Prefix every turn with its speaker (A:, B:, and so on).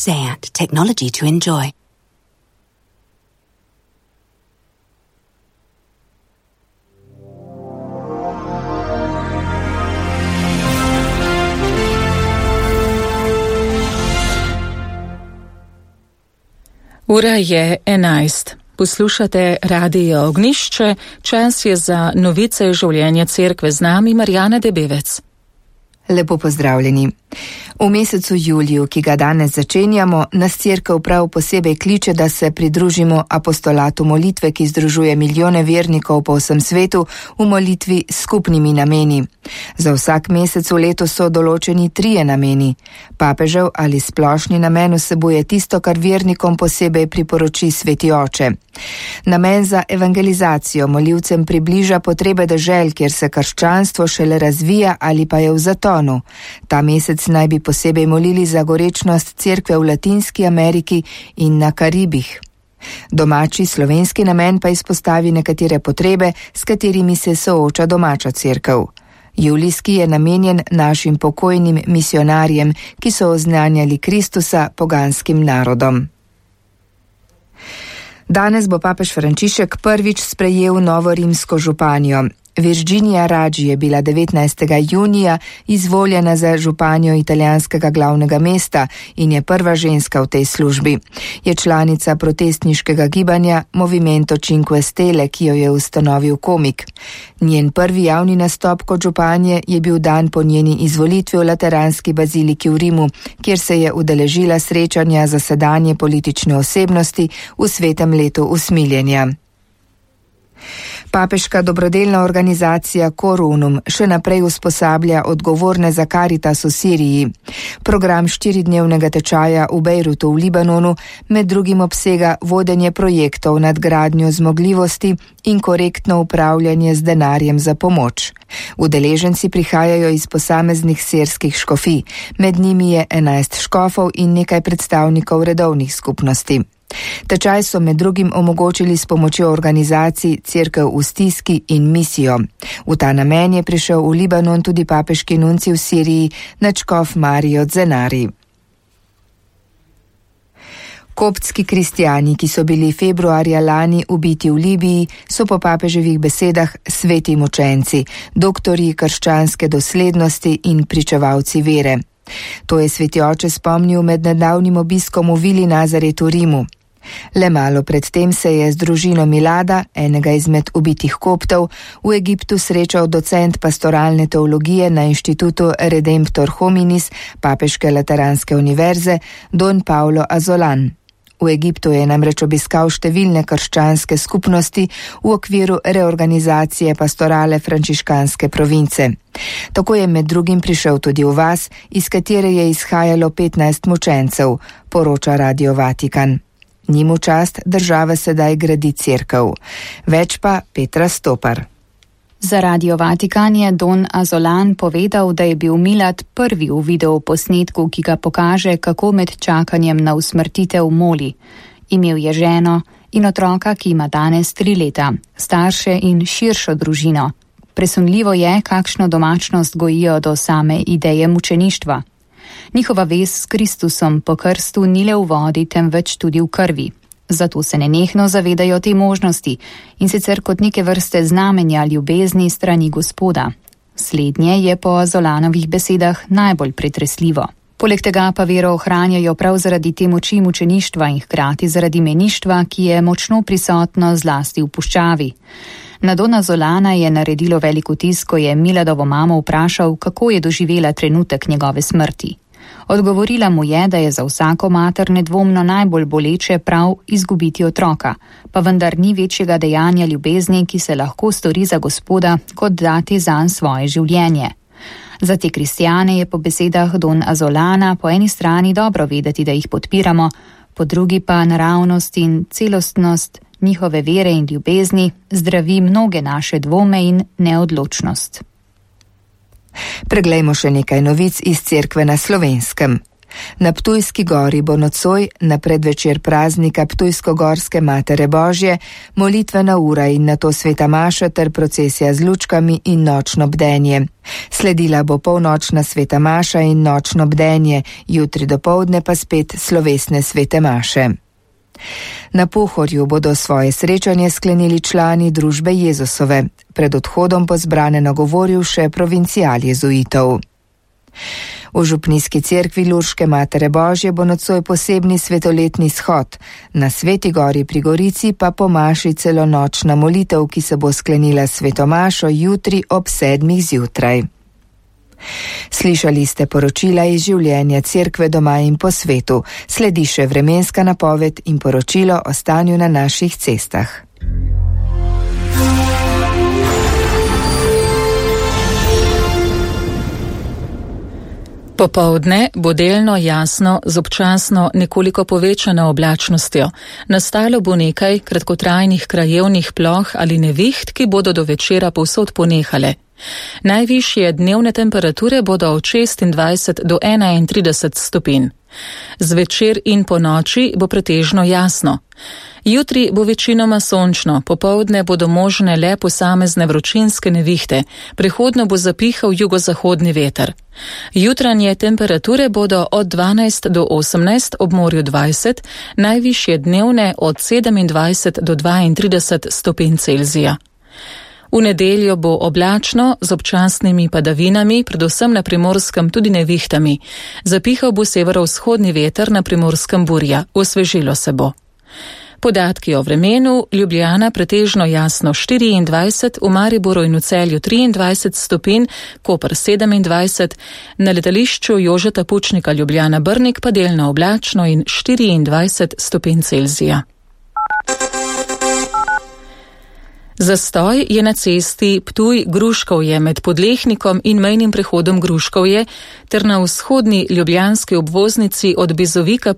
A: SEAT, technology to enjoy.
B: Ura je 11. Poslušate Radio Ognjišče, čas je za novice življenja cerkve, z nami Marjana Debevec.
C: Lepo pozdravljeni. V mesecu juliju, ki ga danes začenjamo, nas cerkev prav posebej kliče, da se pridružimo apostolatu molitve, ki združuje milijone vernikov po vsem svetu v molitvi s skupnimi nameni. Za vsak mesec v letu so določeni 3 nameni. Papežev ali splošni namen vsebuje tisto, kar vernikom posebej priporoči Sveti Oče. Namen za evangelizacijo molivcem približa potrebe dežel, kjer se krščanstvo šele razvija ali pa je v zatonu. Ta mesec naj bi posebej molili za gorečnost cerkve v Latinski Ameriki in na Karibih. Domači slovenski namen pa izpostavi nekatere potrebe, s katerimi se sooča domača cerkev. Julijski je namenjen našim pokojnim misionarjem, ki so oznanjali Kristusa poganskim narodom. Danes bo papež Frančišek prvič sprejel novo rimsko županjo. Virginia Raggi je bila 19. junija izvoljena za županjo italijanskega glavnega mesta in je prva ženska v tej službi. Je članica protestniškega gibanja Movimento Cinque Stelle, ki jo je ustanovil komik. Njen prvi javni nastop kot županje je bil dan po njeni izvolitvi v Lateranski baziliki v Rimu, kjer se je udeležila srečanja za sedanje politične osebnosti v svetem letu usmiljenja. Papeška dobrodelna organizacija Cor Unum še naprej usposablja odgovorne za Karitas v Siriji. Program 4-dnevnega tečaja v Bejrutu v Libanonu med drugim obsega vodenje projektov, nadgradnjo zmogljivosti in korektno upravljanje z denarjem za pomoč. Udeleženci prihajajo iz posameznih sirskih škofij, med njimi je 11 škofov in nekaj predstavnikov redovnih skupnosti. Tečaj so med drugim omogočili s pomočjo organizacij Cerkev v stiski in misijo. V ta namen je prišel v Libanon tudi papeški nunci v Siriji, nadškof Mario Zenari. Koptski kristjani, ki so bili februarja lani ubiti v Libiji, so po papeževih besedah sveti mučenci, doktorji krščanske doslednosti in pričevalci vere. To je Sveti Oče spomnil med nedavnim obiskom v Vili Nazaret v Rimu. Le malo predtem se je z družino Milada, enega izmed ubitih Koptov, v Egiptu srečal docent pastoralne teologije na inštitutu Redemptor Hominis Papeške Lateranske univerze Don Paulo Azolan. V Egiptu je namreč obiskal številne krščanske skupnosti v okviru reorganizacije pastorale frančiškanske province. Tako je med drugim prišel tudi v vas, iz katere je izhajalo 15 mučencev, poroča Radio Vatikan. Njim v čast država sedaj gradi cerkev. Več pa Petra Stopar.
D: Za Radio Vatikan je Don Azolan povedal, da je bil Milad prvi v videoposnetku, ki ga pokaže, kako med čakanjem na usmrtitev moli. Imel je ženo in otroka, ki ima danes 3 leta, starše in širšo družino. Presunljivo je, kakšno domačnost gojijo do same ideje mučeništva. Njihova vez s Kristusom po krstu ni le v vodi, temveč tudi v krvi. Zato se nenehno zavedajo te možnosti in sicer kot neke vrste znamenja ljubezni strani Gospoda. Slednje je po Azolanovih besedah najbolj pretresljivo. Poleg tega pa vero ohranjajo prav zaradi te moči mučeništva in hkrati zaradi meništva, ki je močno prisotno zlasti v puščavi. Na Dona Azolana je naredilo velik vtis, ko je Miladovo mamo vprašal, kako je doživela trenutek njegove smrti. Odgovorila mu je, da je za vsako mater nedvomno najbolj boleče prav izgubiti otroka, pa vendar ni večjega dejanja ljubezni, ki se lahko stori za Gospoda, kot dati zanj svoje življenje. Za te kristjane je po besedah Don Azolana po eni strani dobro vedeti, da jih podpiramo, po drugi pa naravnost in celostnost njihove vere in ljubezni zdravi mnoge naše dvome in neodločnost.
C: Preglejmo še nekaj novic iz cerkve na Slovenskem. Na Ptujski gori bo nocoj, na predvečer praznika Ptujsko-gorske Matere Božje, molitvena ura in nato sveta maša ter procesija z lučkami in nočno bdenje. Sledila bo polnočna sveta maša in nočno bdenje, jutri dopoldne pa spet slovesne svete maše. Na Pohorju bodo svoje srečanje sklenili člani družbe Jezusove. Pred odhodom bo zbrane nagovoril še provincial jezuitov. V župnijski cerkvi Lurške Matere Božje bo nocoj posebni svetoletni shod, na Sveti gori pri Gorici pa po maši celo nočna molitev, ki se bo sklenila sveto mašo jutri ob 7 zjutraj. Slišali ste poročila iz življenja cerkve doma in po svetu, sledi še vremenska napoved in poročilo o stanju na naših cestah.
B: Popoldne bo delno jasno z občasno nekoliko povečano oblačnostjo. Nastalo bo nekaj kratkotrajnih krajevnih ploh ali neviht, ki bodo do večera povsod ponehale. Najvišje dnevne temperature bodo od 26 do 31 stopinj. Zvečer in po noči bo pretežno jasno. Jutri bo večinoma sončno, popoldne bodo možne le posamezne vročinske nevihte, prehodno bo zapihal jugozahodni veter. Jutranje temperature bodo od 12 do 18, ob morju 20, najvišje dnevne od 27 do 32 stopinj Celzija. V nedeljo bo oblačno z občasnimi padavinami, predvsem na Primorskem tudi nevihtami. Zapihal bo severovzhodni veter, na Primorskem burja, osvežilo se bo. Podatki o vremenu: Ljubljana pretežno jasno 24, v Mariboru in v Celju 23 stopinj, Koper 27, na letališču Jožeta Pučnika Ljubljana Brnik pa delno oblačno in 24 stopinj Celzija. Zastoj je na cesti Ptuj-Gruškovje med Podlehnikom in mejnim prehodom Gruškovje ter na vzhodni ljubljanski obvoznici od Bizovika